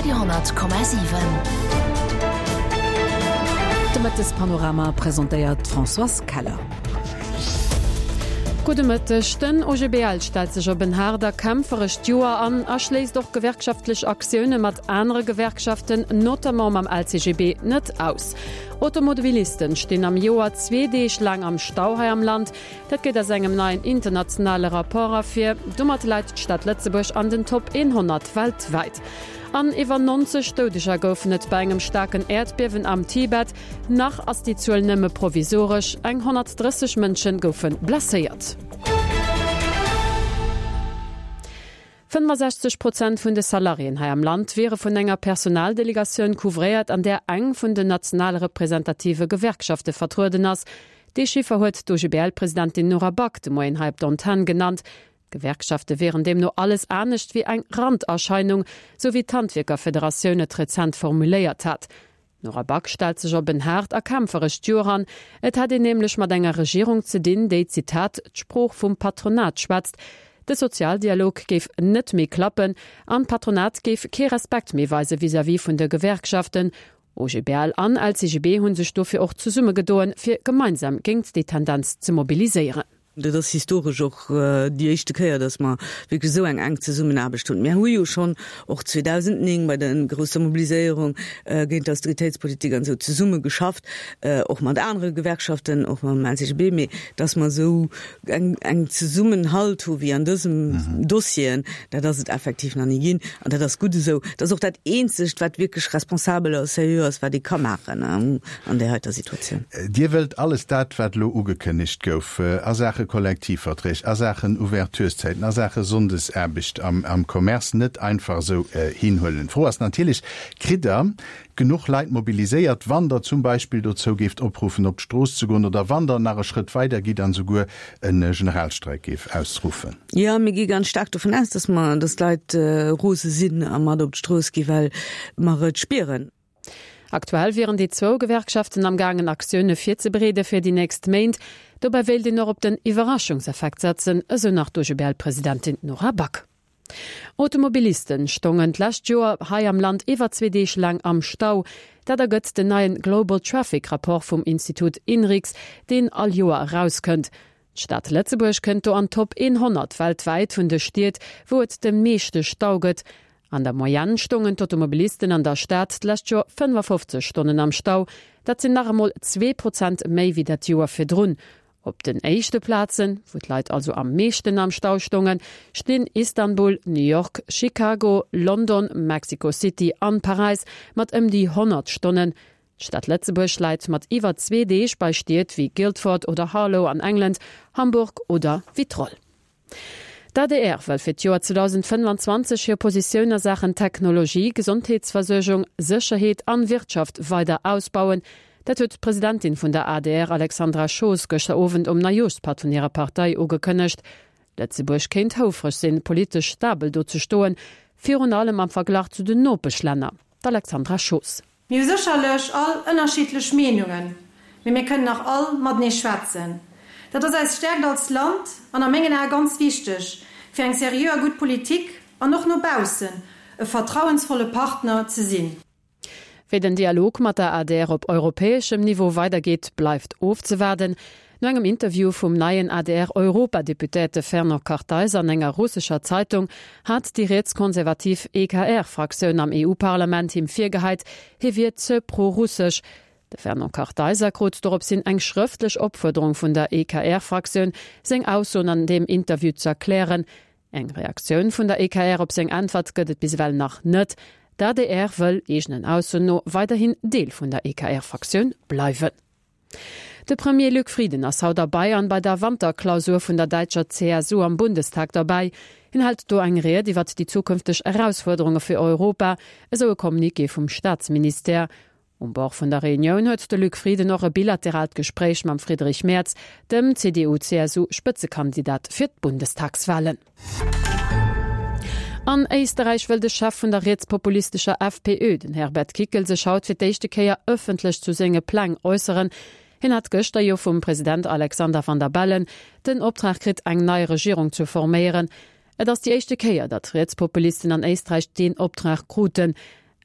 Radio 10,7. De Mëttespanorama presentéiert d'Françoise Keller. Gudde Mëtteg. Den OGBL stellt sech op en haart a kämpferescht Joer an a schléisst och gewerkschaftlech Aktioune mat anere Gewerkschaften, notamment mam LCGB, net aus. Automobilisten stinn am Joer zwee Deeg laang am Stau hei am Land. Dat geet aus engem neien internationale Rapport ervir. Domat läit d'Stad Lëtzebuerg an den Top 100 weltwäit. An iwwer 90 Doudeger goufen et bei engem staarken Äerdbiewen am Tibet. Nach ass déi Zuel nëmme provisoresch, eng 130 Mënsche goufe blesséiert. 65 Prozent vun de Salariéen hei am Land wiere vun enger Personaldelegatioun couvréiert, an där eng vun den national representative Gewerkschafte vertrueden ass. Dee Chiffer huet d'OGBL-Presidentin Nora Back de Moien hei op der Antenn genannt. D'Gewerkschafte wieren deemno alles anescht wéi eng Randerscheinung, sou wéi d'Handwierkerfederatioun et rezent formuléiert hat. D'Nora Back stellt sech op en haart a kämpferescht Joer an. Et hätt een nämlech mat enger Regierung ze dinn, déi, Zitat, d'Sprooch vum Patronat schwätzt. De Sozialdialog géif net méi klappen an d'Patronat géif kee Respekt méi weise vis-à-vis vun de Gewerkschaften. OGBL an LCGB hu sech dofir och zesummegedoen, fir gemeinsam géingt déi Tendenz ze mobiliséieren. Dat ass historesch och déi éischte Kéier, datt mer wierklech esou eng enk Zesummenaarbecht hunn. Mir hu jo schonn och 2009 bei der grousser Mobiliséierung géint d'Austeritéitspolitik an esou zesumme geschafft, och mat anere Gewerkschaften, och mam LCGB, mee datt mer esou eng eng Zesummenhalt hu wéi an dësem Dossieren, dat ass et effektiv nach ni ginn. An dat ass gutt esou. Dat ass och dat Eenzegt, wat wierklech responsabel a seriö ass, wat ee ka maachen. an där heiter Situatioun. Dir wëllt alles dat, wat elo ugekënnegt gouf a Saache Kollektivverträg, a Saachen Ouvertureszäiten, a Saache Sonndesaarbecht am Commerce net einfach esou hinhuelen. D'Fro ass natierlech, Kritt Der genuch Leit mobiliséiert, wann Der zum Beispill dozou géift opruffen, op d'Strooss ze goen, oder wann Der nach e Schrëtt weider gitt an esouguer e Generalstreik géif ausruffen? Jo, mir gi ganz staark dovun aus, dass mer, dass d'Leit rose sinn a mat op d'Strooss gi well mer et spieren. Aktuell wieren déi zwou Gewerkschaften am gaangen Aktioune virzebereede fir déi nächst Méint. Dobäi wéilt een och op den Iwwerraschungseffekt setzen, esou nach d'OGBL-Presidentin Nora Back. Automobilisten stongen d'lescht Joer hei am Land iwwer zwee Deeg laang am Stau. Dat ergëtt den neien Global Traffic Rapport vum Institut Inrix, deen all Joer erauskënnt. D'Stad Lëtzebuerg kënnt do an d'Top 100 weltwäit vun de Stied, wou et de meeschte Stau gëtt. An der Moyenne stongen d'Automobilisten an der Stad d'lescht Joer 55 Stonnen am Stau. Dat sinn nach emol 2 Prozent méi wéi dat Joer virdrun. Op den éischte Plazen, wou d'Leit also am meeschten am Stau stongen, stinn Istanbul, New York, Chicago, London, Mexico City an Paräis mat ëm déi 100 Stonnen. D'Stad Lëtzebuerg läit mat iwwer zwee Deeg bei Stied wéi Guildford oder Harlow an England, Hamburg oder Vitrolles. D'ADR wëll fir d'Joer 2025 hir Positioun a Saachen Technologie, Gesondheetsversuergung, Sécherheet an Wirtschaft weider ausbauen. Dat huet d'Presidentin vun der adr Alexandra Schoos gëschter Owend um Neijooschpatt vun hirer Partei ugekënnegt. Lëtzebuerg kéint houfreg sinn, politesch stabel do ze stoen, virun allem am Verglach zu den Nopeschlänner. D'Alexandra Schoos. Mir hu sécherlech all ënnerschiddlech Meenungen, mee mir kënnen nach all matenee schwätzen. Dat ass eis Stärkt als Land an a mengen Ae ganz wichteg, fir eng seriö a gutt Politik an och no baussen e vertrauensvolle Partner ze sinn. Wéi den Dialog mat der adr op europäeschem Niveau weidergeet, bleift ofzewaarden. No engem Interview vum neien ADR-Europadeputéierte Fernand Kartheiser an enger russescher Zeitung hat déi rietskonservativ EKR-Fraktioun am EU-Parlament him virgeheit, hie wier ze pro-russesch. De Fernand Kartheiser krut doropshin eng schrëftlech Opfuerderung vun der EKR-Fraktioun, seng Aussoen an deem Interview ze erklären. Eng Reaktioun vun der EKR op seng Äntwert gëtt et bis ewell nach net. D'ADR wëll, eegenen Aussoen no, weiderhin Deel vun der EKR-Fraktioun bleiwen. De Premier Luc Frieden ass haut a Bayern bei der Wanterklausur vun der däitscher CSU am Bundestag derbäi. Hien hält do eng Ried iwwert déi zukünfteg Erausfuerderunge fir Europa, esou e Communiqué vum Staatsministère. Um Bord vun der Reunioun huet de Luc Frieden och e bilateraalt Gespréich mam Friedrich Merz, dem CDU-CSU-Spëtzekandidat fir d'Bundestagswalen. An Éisterräich wëll de Chef vun der rietspopulistescher FPÖ, den Herbert Kickl, sech haut fir d'éischte Kéier ëffentlech zu senge Pläng äusseren. Hien hat gëschter jo vum President Alexander Van der Bellen den Optrag kritt, eng nei Regierung ze forméieren. Et ass déi éischte Kéier, datt Rietspopulisten an Éisträich deen Optrag kruten.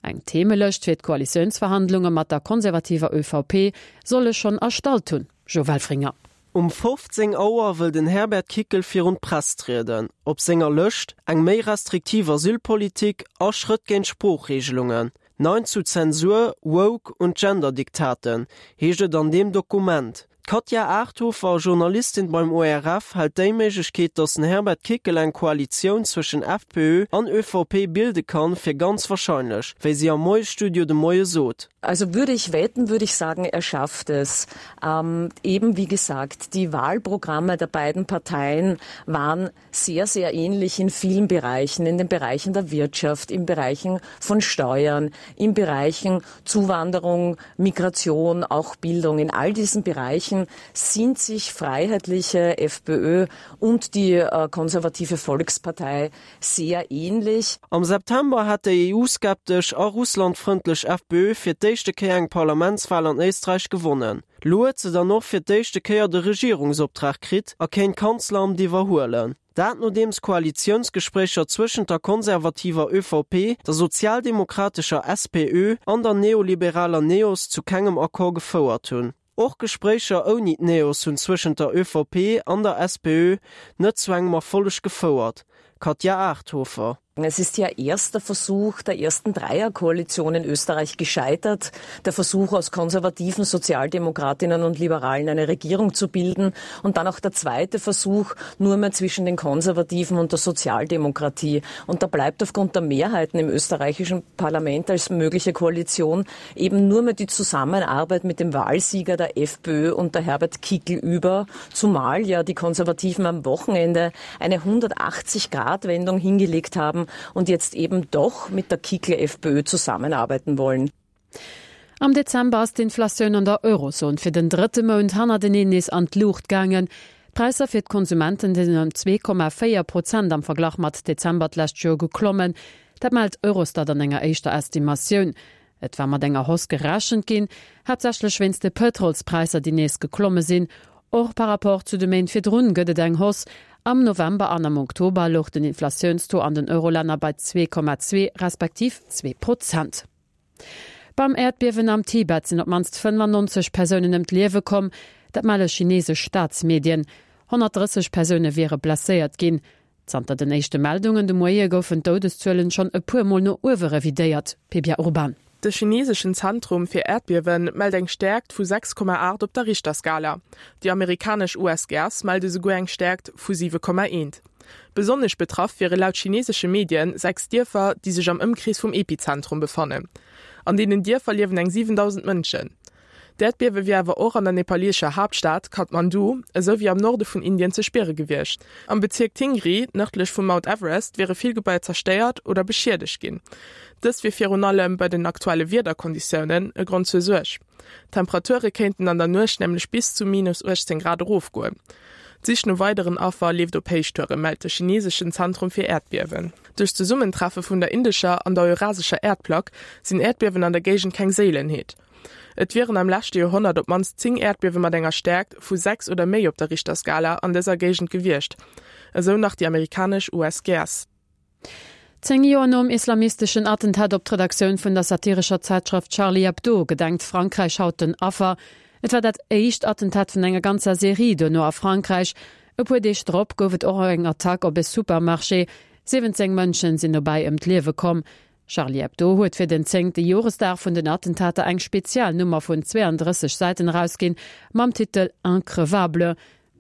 Eng Themelëscht fir d'Koalitiounsverhandlunge mat der konservativer ÖVP soll e schonn erstallt hunn, Jo Welfringer. Um 15 Auer wëll den Herbert Kickl virun d'Press trieden. Op senger Lëscht, eng méi restriktiv Asylpolitik a Schrëtt géint Sproochreegelungen. Nein zu Zensur, Woke und Genderdiktaten, heescht et an deem Dokument. D'Katja Arthofer, Journalistin beim ORF, hält déi Méiglechkeet, datt den Herbert Kickl eng Koalitioun zwëschen FPÖ an ÖVP bilde kann, fir ganz wahrscheinlech, wéi si am Moiesstudio de Moie sot. Also würde ich wetten, würde ich sagen, er schafft es. Ähm, eben wie gesagt, die Wahlprogramme der beiden Parteien waren sehr, sehr ähnlich in vielen Bereichen, in den Bereichen der Wirtschaft, in Bereichen von Steuern, in Bereichen Zuwanderung, Migration, auch Bildung. In all diesen Bereichen sind sich freiheitliche FPÖ und die äh, konservative Volkspartei sehr ähnlich. Am September hat déi EU-skeptesch a russlandfrëndlech FPÖ fir d'éischte Kéier eng Parlamentswal an Éisträich gewonnen. Lo huet se dann och fir d'éischte Kéier de Regierungsoptrag kritt a kéint d'Kanzleramt iwwerhuelen. Dat nodeems Koalitiounsgespréicher zwëschent der konservativer ÖVP, der sozialdemokratescher SPÖ an der neoliberaler NEOS zu kengem Accord gefouert hunn. Och Gespréicher ouni d'NEOS hunn zwëschent der ÖVP an der SPÖ net zu engem Erfolleg gefouert. Katja Arthofer. Es ist ja erster Versuch der ersten Dreierkoalition in Österreich gescheitert, der Versuch aus konservativen Sozialdemokratinnen und Liberalen eine Regierung zu bilden und dann auch der zweite Versuch nur mehr zwischen den Konservativen und der Sozialdemokratie. Und da bleibt aufgrund der Mehrheiten im österreichischen Parlament als mögliche Koalition eben nur mehr die Zusammenarbeit mit dem Wahlsieger der FPÖ und der Herbert Kickl über, zumal ja die Konservativen am Wochenende eine 180-Grad-Wendung hingelegt haben und jetzt eben doch mit der Kickl-FPÖ zusammenarbeiten wollen. Am Dezember ass d'Inflatioun an der Eurozon fir den drëtte Mount hannerteneen nees an d'Luucht gaangen. D'Präisser fir d'Konsumenten sinn ëm 2,4 Prozent am Verglach mat Dezember d'lescht Joer geklommen. Dat mellt Eurostat an enger éischter Estimatioun. Et war mat enger Hausse gerechent ginn, haaptsächlech wéinst de Pëtrolspräisser, déi nees geklomme sinn. Och par rapport zu de Méint virdrun gëtt et eng Hausse. Am November an am Oktober louch den Inflatiounstaux an den Eurolänner bei 2,2 respektiv 2 Prozent. Beim Äerdbiewen am Tibet sinn op d'mannst 95 Persounen ëm d'Liewe komm. Dat melle chineesesch Staatsmedien. 130 Persoune wiere blesséiert ginn. Zanter den éischte Meldungen de Moie goufen d'Doudeszuelen schonn e puer Mol no uewe revidéiert, Pia Urban. De chineeseschen Zentrum fir Äerdbiewe mellt eng Stäerkt vu 6,8 op der Richterskala. Déi amerikanesch USGS mellt esouguer eng Stäerkt vu 7,1. Besonnesch betraff wiere laut chineesesche Medien 6 Dierfer, déi sech am Ëmkrees vum Epizentrum befannen. An deenen Dierfer liewen eng 7.000 Mënschen. D'Äerdbiewe wier awer och an der nepalesescher Haaptstad Kathmandu, esou wéi am Norde vun Indien ze spiere gewiescht. Am Bezierk Tingri, nërdlech vum Mount Everest, wiere vill Gebaier zerstéiert oder beschiedegt ginn. Dëst wier virun allem bei den aktuelle Wiederkonditiounen e Grond zur Suerg. D'Temperature kéinten an der Nuecht nämlech bis zu minus 18 Grad erofgoen. D'Sich no weideren Affer leeft op Héichtouren, mellt de chineseschen Zentrum fir Äerdbiewen. Duerch d'Zesummentreffe vun der indescher an der eurasescher Äerdplack sinn Äerdbiewen an der Géigend keng Séilenheet. Et wieren am leschte Joerhonnert op d'mannst 10 Äerdbiewe mat enger Stäerkt vu 6 oder méi op der Richterskala an dëser Géigend gewiescht, esou nach déi amerikanesch USGS. 10 Joer nom islamisteschen Attentat op d'Redaktioun vun der satirescher Zäitschrëft Charlie Hebdo gedenkt Frankräich haut den Affer. Et war dat éischt Attentat vun enger ganzer Serie duerno a Frankräich. E puer Deeg drop gouf et och eng Attack op e Supermarché. 17 Mënschen sinn dobäi ëm d'Liewe komm. Charlie Hebdo huet fir den zéngte Joresdag vun den Attentater eng spezial Nummer vun 32 Säiten erausginn, mam Titel Increvable.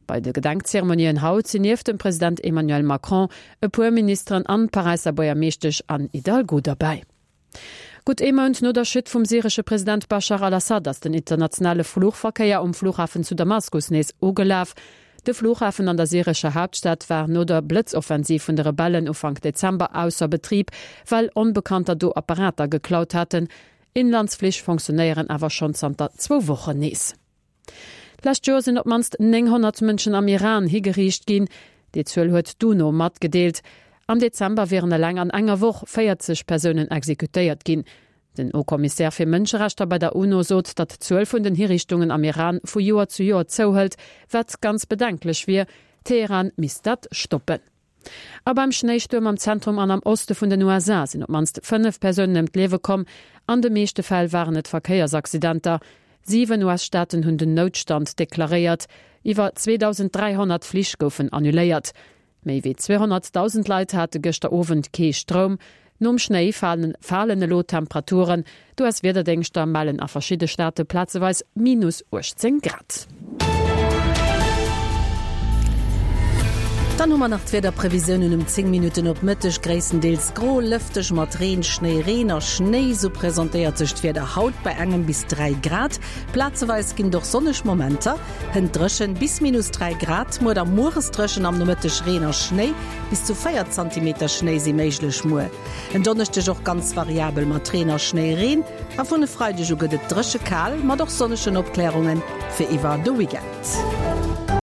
Bei de Gedenkzeremonien haut sinn nieft dem President Emmanuel Macron e puer Ministeren an d'Paräisser Buergermeeschtesch Anne Hidalgo derbäi. Gutt ee Mount no der Chute vum syresche President Baschar al-Assad ass den internationale Fluchverkéier um Flughafen zu Damaskus nees ugelaf. De Flughafen an der syrescher Haaptstad war no der Blëtzoffensiv vun de Rebellen Ufank Dezember ausser Betrib, well Onbekannter do Apparater geklaut haten. Inlandsflich fonctionéieren awer schonn zanter zwou Wochen nees. D'lescht Joer sinn op d'mannst 900 Mënschen am Iran higeriicht ginn. Déi Zuel huet d'UNO matgedeelt. Am Dezember wieren eleng an enger Woch 40 Persounen exekutéiert ginn. Den Haut-Commissaire fir Mënscherechter bei der UNO sot, datt d'Zuel vun den Hiriichtungen am Iran vu Joer zu Joer zouhëlt, wat ganz bedenklech wier. Teheran misst dat stoppen. A beim Schnéistuerm am Zentrum an am Oste vun den USA sinn op d'mannst 5 Persounen ëm d'Liewe komm. An de meeschte Fäll waren et Verkéiersaccidenter. 7 US-Staaten hunn den Noutstand deklaréiert. Iwwer 2.300 Flich goufen annuléiert. Méi wéi 200.000 Leit hate gëschter Owend kee Stroum. Nom Schnéi falen elo d'Temperaturen. D'US-Wiederdéngschter mellen a verschidde Staate plazeweis minus 18 Grad. Dann hu mer nach d'Wiederprevisiounen um 10 Minutten op Mëtteg, Gréisstendeels gro, lëfteg mat Reen, Schnéi, Reen a Schnéi, sou presentéiert sech d'Wieder haut bei engem bis 3 Grad. Plazeweis ginn et och sonneg Momenter. Hënt dréchen bis minus 3 Grad, muer da mueres dréchen, am Nomëtteg Reen a Schnéi. Bis zu 4 Zantimeter Schnéi si méiglech muer. En Donneschdeg och ganz variabel mat Reen a Schnéireen a vun e Freideg u gëtt et dréche kal mat och sonnegen Opklärunge fir iwwer de Weekend.